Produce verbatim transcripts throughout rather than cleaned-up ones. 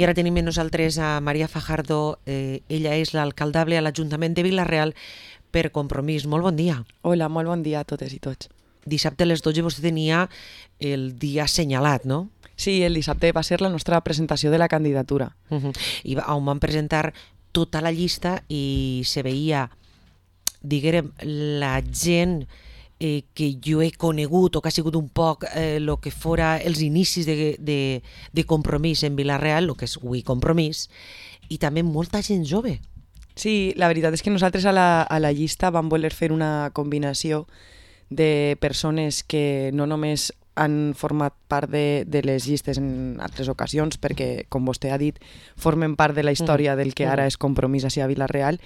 I ara tenim amb nosaltres a Maria Fajardo, eh, ella és l'alcaldable a l'Ajuntament de Vila-real per Compromís. Molt bon dia. Hola, molt bon dia a totes i tots. Dissabte a les dotze vostè tenia el dia assenyalat, no? Sí, el dissabte va ser la nostra presentació de la candidatura. Uh-huh. I va, on van presentar tota la llista i se veia, diguem, la gent eh, que jo he conegut o que ha sigut un poc eh, lo que fora els inicis de, de, de Compromís en Vila-real, el que és avui Compromís, i també molta gent jove. Sí, la veritat és que nosaltres a la, a la llista vam voler fer una combinació de persones que no només han format part de, de les llistes en altres ocasions, perquè, com vostè ha dit, formen part de la història del que ara és Compromís a Vila-real,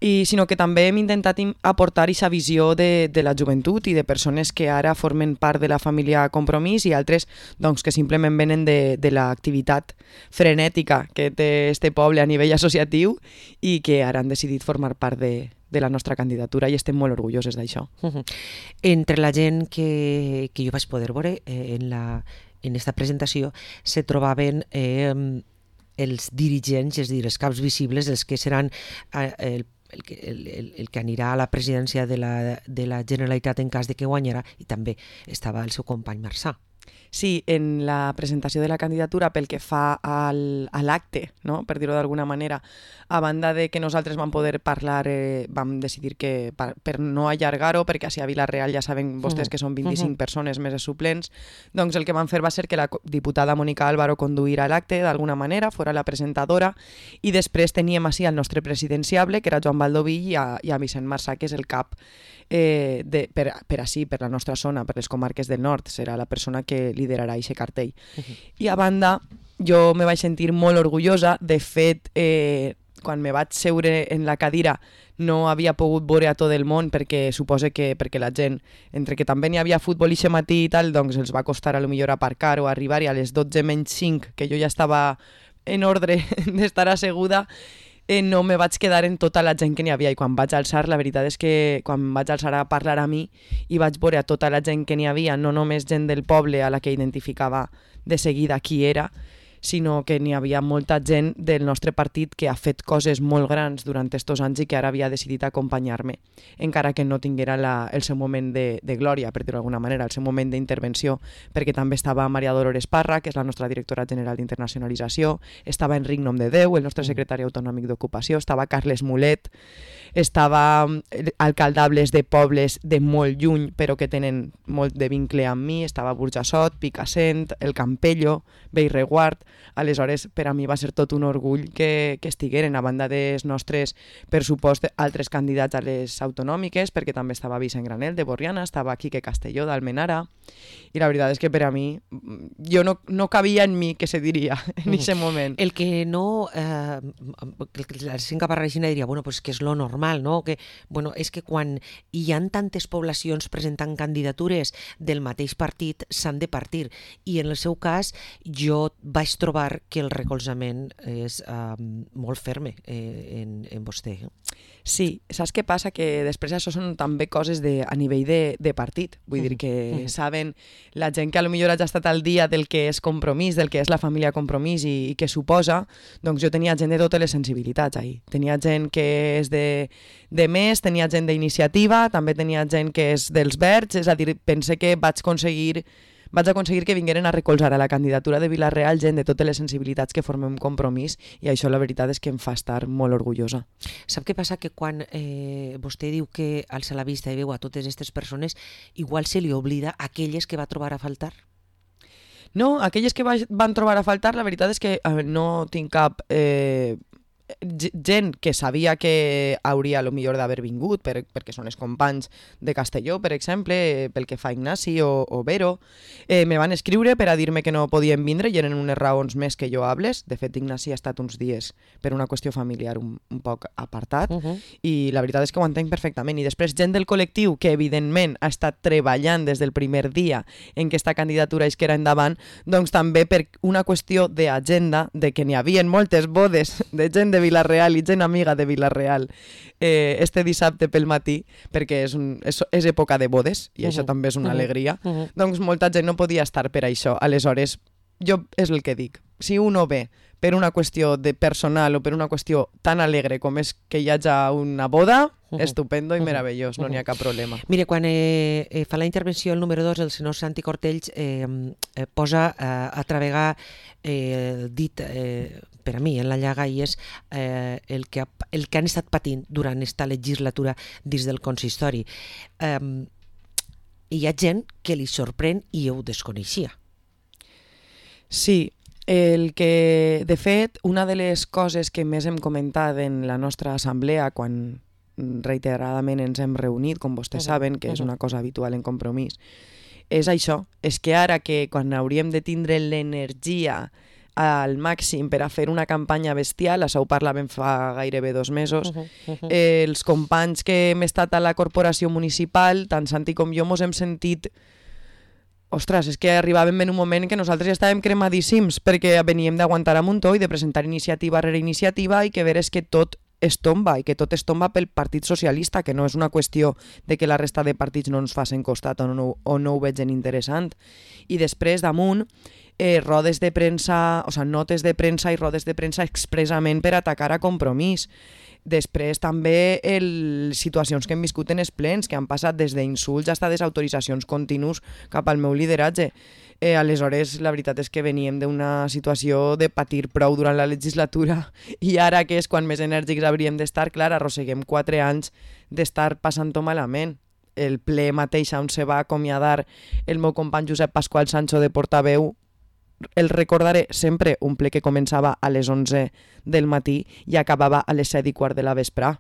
i sinó que també hem intentat aportar aquesta visió de, de la joventut i de persones que ara formen part de la família Compromís i altres doncs, que simplement venen de, de l'activitat frenètica que té este poble a nivell associatiu i que ara han decidit formar part de, de la nostra candidatura i estem molt orgulloses d'això. Uh-huh. Entre la gent que, que jo vaig poder veure eh, en, la, en esta presentació se trobaven eh, els dirigents, és a dir, els caps visibles, els que seran eh, el El que, el, el, el que anirà a la presidència de la, de la Generalitat en cas de que guanyarà, i també estava el seu company Marçà. Sí, en la presentació de la candidatura pel que fa al, a l'acte, no? Per dir-ho d'alguna manera, a banda de que nosaltres vam poder parlar, eh, vam decidir que per, per no allargar-ho, perquè a Vila-real ja saben vostès que són vint-i-cinc uh-huh. persones més els suplents, doncs el que vam fer va ser que la diputada Mónica Álvaro conduïra l'acte d'alguna manera, fora la presentadora, i després teníem així el nostre presidenciable, que era Joan Baldoví, i a, i a Vicent Marçà, que és el cap eh, de, per, per així, per la nostra zona, per les comarques del nord, serà la persona que liderarà aquest cartell. Uh-huh. I a banda, jo me vaig sentir molt orgullosa. De fet, eh, quan me vaig seure en la cadira no havia pogut veure a tot el món perquè suposo que perquè la gent, entre que també n'hi havia futbol i matí i tal, doncs els va costar a lo millor aparcar o arribar, i a les dotze menys cinc, que jo ja estava en ordre d'estar asseguda, Eh, no me vaig quedar en tota la gent que n'hi havia, i quan vaig alçar, la veritat és que quan vaig alçar a parlar a mi i vaig veure a tota la gent que n'hi havia, no només gent del poble a la que identificava de seguida qui era, sinó que n'hi havia molta gent del nostre partit que ha fet coses molt grans durant aquests anys i que ara havia decidit acompanyar-me, encara que no tinguera la, el seu moment de, de glòria, per dir-ho d'alguna manera, el seu moment d'intervenció, perquè també estava Maria Dolores Parra, que és la nostra directora general d'internacionalització, estava Enric Nomdedeu, el nostre secretari autonòmic d'ocupació, estava Carles Mulet, estava alcaldables de pobles de molt lluny, però que tenen molt de vincle amb mi, estava Burjassot, Picassent, el Campello, Bellreguard. Aleshores, per a mi va ser tot un orgull que, que estigueren, a banda dels nostres, per supost, altres candidats a les autonòmiques, perquè també estava Vicent Granel, de Borriana, estava Quique Castelló, d'Almenara, i la veritat és que per a mi, jo no, no cabia en mi, que se diria, en aquest moment. El que no... Eh, la gent que parla així diria, bueno, pues que és lo normal, no? Que, bueno, és que quan hi ha tantes poblacions presentant candidatures del mateix partit, s'han de partir, i en el seu cas, jo vaig trobar que el recolzament és uh, molt ferme eh, en, en vostè. Sí, saps què passa? Que després això són també coses de, a nivell de, de partit. Vull uh-huh. dir que uh-huh. saben la gent que potser ja ha estat al dia del que és Compromís, del que és la família Compromís i, i què suposa, doncs jo tenia gent de totes les sensibilitats ahí. Tenia gent que és de, de més, tenia gent d'iniciativa, també tenia gent que és dels verds, és a dir, pense que vaig aconseguir vaig aconseguir que vingueren a recolzar a la candidatura de Vila-real gent de totes les sensibilitats que formem Compromís, i això la veritat és que em fa estar molt orgullosa. Sap què passa? Que quan eh, vostè diu que alça la vista i veu a totes aquestes persones, igual se li oblida aquelles que va trobar a faltar? No, aquelles que va, van trobar a faltar, la veritat és que eh, no tinc cap... Eh, gent que sabia que hauria a lo millor d'haver vingut per, perquè són els companys de Castelló, per exemple, pel que fa a Ignasi o, o Vero, eh, me van escriure per a dir-me que no podien vindre i eren unes raons més que jo hables. De fet, Ignasi ha estat uns dies per una qüestió familiar un, un poc apartat uh-huh. i la veritat és que ho entenc perfectament. I després gent del col·lectiu que evidentment ha estat treballant des del primer dia en què esta candidatura és que era endavant, doncs també per una qüestió d'agenda, de que n'hi havia moltes bodes de gent de Vila-real i gent amiga de Vila-real eh, este dissabte pel matí, perquè és, un, és, és època de bodes i uh-huh. això també és una uh-huh. alegria, uh-huh. doncs molta gent no podia estar per això. Aleshores, jo és el que dic. Si uno ve per una qüestió de personal o per una qüestió tan alegre com és que hi hagi una boda, uh -huh. estupendo i meravellós, no n'hi ha cap problema. Mire, quan eh, eh, fa la intervenció el número dos, el senyor Santi Cortells eh, eh, posa eh, a travegar eh, dit eh, per a mi en la llaga i és eh, el, que, el que han estat patint durant esta legislatura dins del consistori. Eh, hi ha gent que li sorprèn i ho desconeixia. Sí, el que, de fet, una de les coses que més hem comentat en la nostra assemblea quan reiteradament ens hem reunit, com vostès uh -huh. saben, que és una cosa habitual en Compromís, és això, és que ara que quan hauríem de tindre l'energia al màxim per a fer una campanya bestial, això ho parlàvem fa gairebé dos mesos, uh -huh, uh -huh. Eh, els companys que hem estat a la corporació municipal, tant Santi com jo, mos hem sentit ostres, és que arribàvem en un moment en què nosaltres ja estàvem cremadíssims perquè veníem d'aguantar a muntó i de presentar iniciativa rere iniciativa i que veres que tot es tomba i que tot es tomba pel Partit Socialista, que no és una qüestió de que la resta de partits no ens facin costat o no, o no ho vegin interessant. I després, damunt, eh, rodes de premsa, o sigui, notes de premsa i rodes de premsa expressament per atacar a Compromís. Després també el, situacions que hem viscut en els plens, que han passat des d'insults fins a desautoritzacions continus cap al meu lideratge. Eh, aleshores, la veritat és que veníem d'una situació de patir prou durant la legislatura i ara que és quan més enèrgics hauríem d'estar, clar, arrosseguem quatre anys d'estar passant-ho malament. El ple mateix on se va acomiadar el meu company Josep Pasqual Sancho de portaveu, el recordaré sempre, un ple que començava a les onze del matí i acabava a les set i quart de la vespre,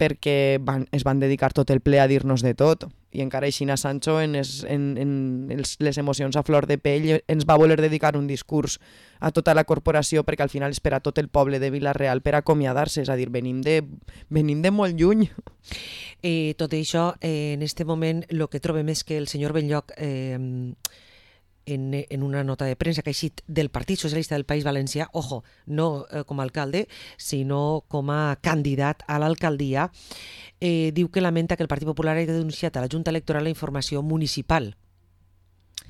perquè van, es van dedicar tot el ple a dir-nos de tot. I encara així a Sancho, en, es, en, en els, les emocions a flor de pell, ens va voler dedicar un discurs a tota la corporació perquè al final és per a tot el poble de Vila-real per acomiadar-se, és a dir, venim de, venim de molt lluny. Eh, tot això, eh, en este moment, el que trobem és que el senyor Benlloch eh, En, en una nota de premsa que ha eixit del Partit Socialista del País Valencià, ojo, no eh, com a alcalde, sinó com a candidat a l'alcaldia, eh, diu que lamenta que el Partit Popular hagi denunciat a la Junta Electoral la informació municipal.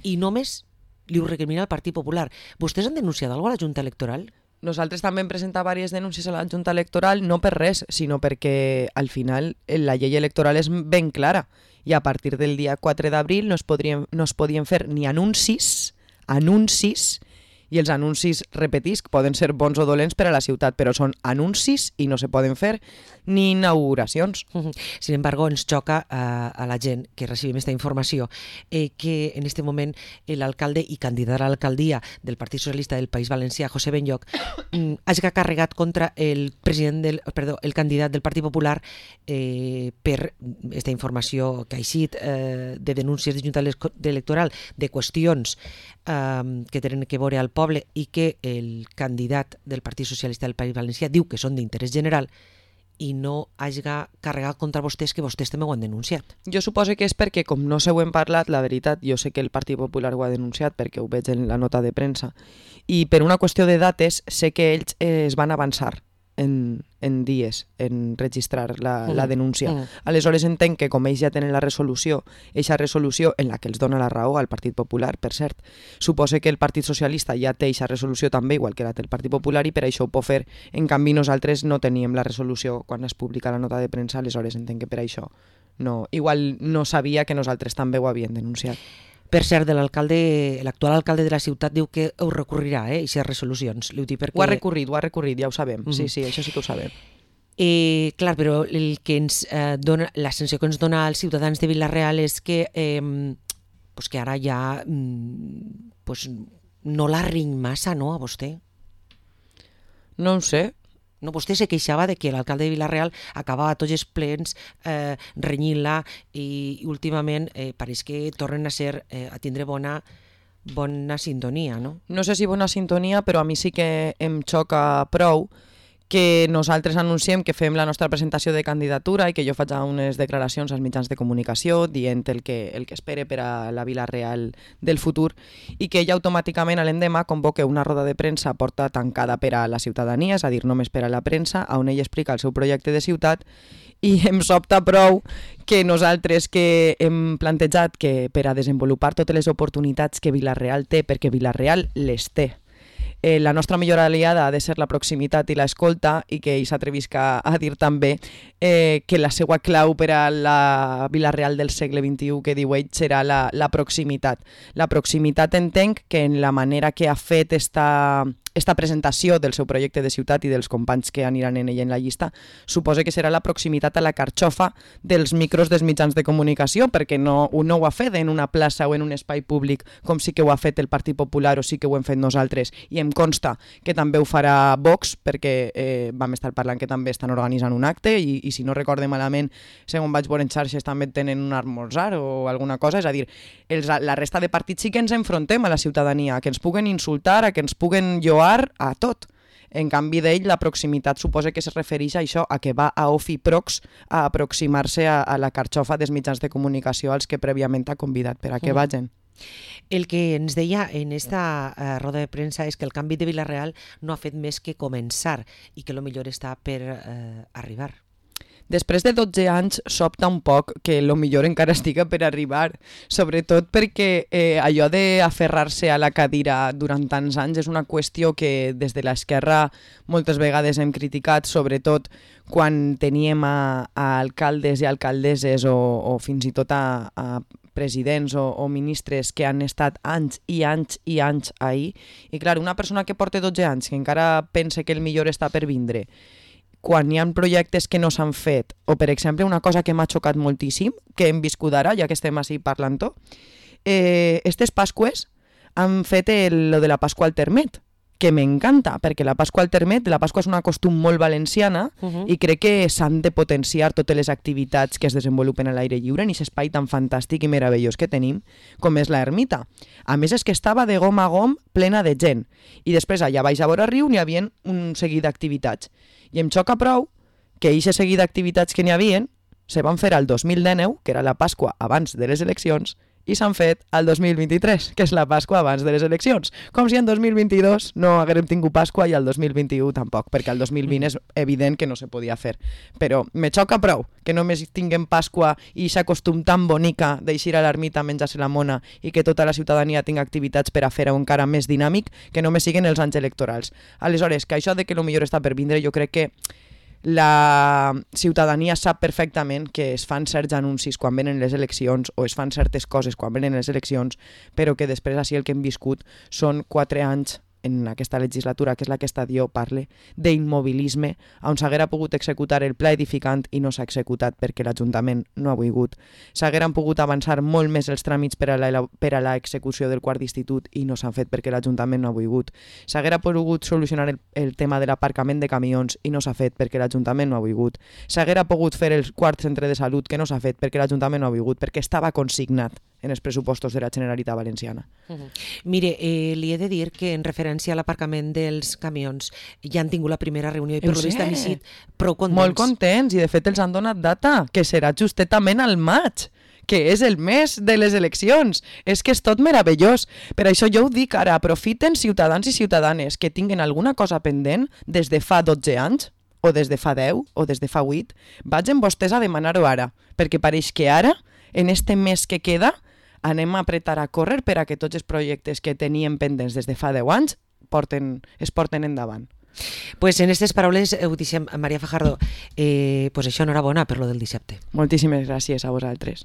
I només li ho recrimina al Partit Popular. Vostès han denunciat alguna cosa a la Junta Electoral? Nosaltres també hem presentat diverses denúncies a la Junta Electoral, no per res, sinó perquè al final la llei electoral és ben clara i a partir del dia quatre d'abril no es podrien, no es podien fer ni anuncis, anuncis, i els anuncis, repetisc, poden ser bons o dolents per a la ciutat, però són anuncis i no se poden fer ni inauguracions. Sin embargo, ens xoca a, a la gent que recibim aquesta informació eh, que en este moment l'alcalde i candidat a l'alcaldia del Partit Socialista del País Valencià, José Benlloch, mm, hagi carregat contra el president del, perdó, el candidat del Partit Popular eh, per aquesta informació que ha eixit eh, de denúncies de Junta Electoral, de qüestions eh, que tenen que veure al poble i que el candidat del Partit Socialista del País Valencià diu que són d'interès general i no hagi carregat contra vostès, que vostès també ho han denunciat. Jo suposo que és perquè, com no se ho hem parlat, la veritat, jo sé que el Partit Popular ho ha denunciat perquè ho veig en la nota de premsa, i per una qüestió de dates sé que ells eh, es van avançar en, en dies en registrar la, mm. la denúncia. Mm. Aleshores entenc que com ells ja tenen la resolució, eixa resolució en la que els dona la raó al Partit Popular, per cert, suposa que el Partit Socialista ja té eixa resolució també, igual que la té el Partit Popular, i per això ho pot fer. En canvi, nosaltres no teníem la resolució quan es publica la nota de premsa, aleshores entenc que per això no, igual no sabia que nosaltres també ho havíem denunciat. Per cert, de l'alcalde, l'actual alcalde de la ciutat diu que ho recorrirà, eh, aquestes resolucions. Ho, perquè... ho ha recorrit, ho ha recorrit, ja ho sabem. Mm-hmm. Sí, sí, això sí que ho sabem. Eh, clar, però el que ens eh, dona, la sensació que ens dona als ciutadans de Vila-real és que, eh, pues que ara ja pues, no la ring massa, no, a vostè? No ho sé. No, vostè se queixava de que l'alcalde de Vila-real acabava tots els plens eh, renyint-la i, i últimament eh, pareix que tornen a ser eh, a tindre bona, bona sintonia, no? No sé si bona sintonia, però a mi sí que em xoca prou que nosaltres anunciem que fem la nostra presentació de candidatura i que jo faig unes declaracions als mitjans de comunicació dient el que, el que espere per a la Vila-real del futur i que ella automàticament a l'endemà convoque una roda de premsa porta tancada per a la ciutadania, és a dir, només per a la premsa, on ell explica el seu projecte de ciutat i em sobta prou que nosaltres que hem plantejat que per a desenvolupar totes les oportunitats que Vila-real té, perquè Vila-real les té, Eh, la nostra millor aliada ha de ser la proximitat i l'escolta, i que ell s'atrevisca a dir també eh, que la seva clau per a la Vila-real del segle vint-i-u, que diu ell, serà la, la proximitat. La proximitat entenc que en la manera que ha fet esta, esta presentació del seu projecte de ciutat i dels companys que aniran en ell en la llista, suposa que serà la proximitat a la carxofa dels micros dels mitjans de comunicació, perquè no, no ho ha fet en una plaça o en un espai públic com sí que ho ha fet el Partit Popular o sí que ho hem fet nosaltres, i em consta que també ho farà Vox, perquè eh, vam estar parlant que també estan organitzant un acte i, i si no recorde malament, segons vaig veure en xarxes, també tenen un esmorzar o alguna cosa, és a dir, els, la resta de partits sí que ens enfrontem a la ciutadania, a que ens puguen insultar, a que ens puguen lloar, a tot. En canvi d'ell, la proximitat suposa que es refereix a això, a que va a Ofi Prox a aproximar-se a, a la carxofa dels mitjans de comunicació als que prèviament ha convidat per a que Mm. vagin. El que ens deia en esta uh, roda de premsa és que el canvi de Vila-real no ha fet més que començar i que lo millor està per uh, arribar. Després de dotze anys sobta un poc que lo millor encara estiga per arribar, sobretot perquè eh, allò d'aferrar-se a la cadira durant tants anys és una qüestió que des de l'esquerra moltes vegades hem criticat, sobretot quan teníem a, a alcaldes i alcaldesses o, o fins i tot a, a presidents o, o ministres que han estat anys i anys i anys ahí. I clar, una persona que porta dotze anys, que encara pensa que el millor està per vindre, quan hi ha projectes que no s'han fet, o per exemple una cosa que m'ha xocat moltíssim, que hem viscut ara, ja que estem així parlant-ho, eh, estes Pasques han fet el, lo de la Pasqua al Termet, que m'encanta, perquè la Pasqua al Termet, la Pasqua és una costum molt valenciana Uh-huh. i crec que s'han de potenciar totes les activitats que es desenvolupen a l'aire lliure en aquest espai tan fantàstic i meravellós que tenim, com és la ermita. A més, és que estava de gom a gom plena de gent. I després, allà baix a vora riu, n'hi havia un seguit d'activitats. I em xoca prou que aquest seguit d'activitats que n'hi havia se van fer al dos mil dinou, que era la Pasqua abans de les eleccions, i s'han fet al dos mil vint-i-tres, que és la Pasqua abans de les eleccions. Com si en dos mil vint-i-dos no haguérem tingut Pasqua i al dos mil vint-i-u tampoc, perquè al dos mil vint és evident que no se podia fer. Però me xoca prou que només tinguem Pasqua i aquest costum tan bonica d'eixir a l'ermita a menjar-se la mona i que tota la ciutadania tinga activitats per a fer-ho encara més dinàmic, que només siguen els anys electorals. Aleshores, que això de que el millor està per vindre, jo crec que la ciutadania sap perfectament que es fan certs anuncis quan venen les eleccions o es fan certes coses quan venen les eleccions, però que després així el que hem viscut són quatre anys en aquesta legislatura, que és la que Estadio parle, d'immobilisme, on s'haguera pogut executar el pla edificant i no s'ha executat perquè l'Ajuntament no ha volgut. S'hagueren pogut avançar molt més els tràmits per a la, per a la execució del quart d'institut i no s'han fet perquè l'Ajuntament no ha volgut. S'haguera pogut solucionar el, el tema de l'aparcament de camions i no s'ha fet perquè l'Ajuntament no ha volgut. S'haguera pogut fer el quart centre de salut que no s'ha fet perquè l'Ajuntament no ha volgut, perquè estava consignat en els pressupostos de la Generalitat Valenciana. Uh-huh. Mire, eh, li he de dir que en referència a l'aparcament dels camions ja han tingut la primera reunió i per lo vist han eixit prou contents. Molt contents, i de fet els han donat data, que serà justament al maig, que és el mes de les eleccions. És que és tot meravellós. Per això jo ho dic ara, aprofiten ciutadans i ciutadanes que tinguen alguna cosa pendent des de fa dotze anys, o des de fa deu, o des de fa vuit, vagin vostès a demanar-ho ara, perquè pareix que ara, en este mes que queda, anem a apretar a córrer per a que tots els projectes que teníem pendents des de fa deu anys porten, es porten endavant. Pues en aquestes paraules ho deixem, Maria Fajardo. Eh, pues això, enhorabona per lo del dissabte. Moltíssimes gràcies a vosaltres.